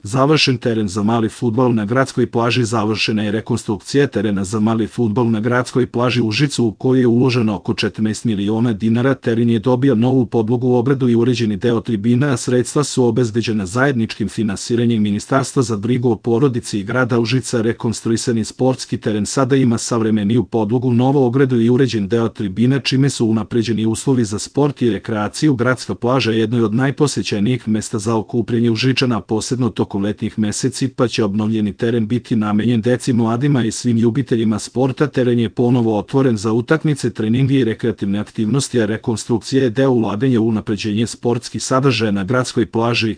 Završen teren za mali fudbal na gradskoj plaži. Završena je rekonstrukcija terena za mali fudbal na gradskoj plaži Užicu, u kojoj je uloženo oko 14 miliona dinara. Teren je dobio novu podlogu, ogradu i uređeni deo tribina, a sredstva su obezbeđena zajedničkim finansiranjem Ministarstva za brigu o porodici i grada Užica. Rekonstruisani sportski teren sada ima savremeniju podlogu, novu ogradu i uređen deo tribina, čime su unapređeni uslovi za sport i rekreaciju. Gradska plaža je jedno od najposećenijih mesta za okupljanje Užičana, posebno tokom letnjih meseci, pa će obnovljeni teren biti namenjen deci, mladima i svim ljubiteljima sporta. Teren je ponovo otvoren za utakmice, treninge i rekreativne aktivnosti, a rekonstrukcija je deo ulaganja u unapređenje sportskih sadržaja na gradskoj plaži.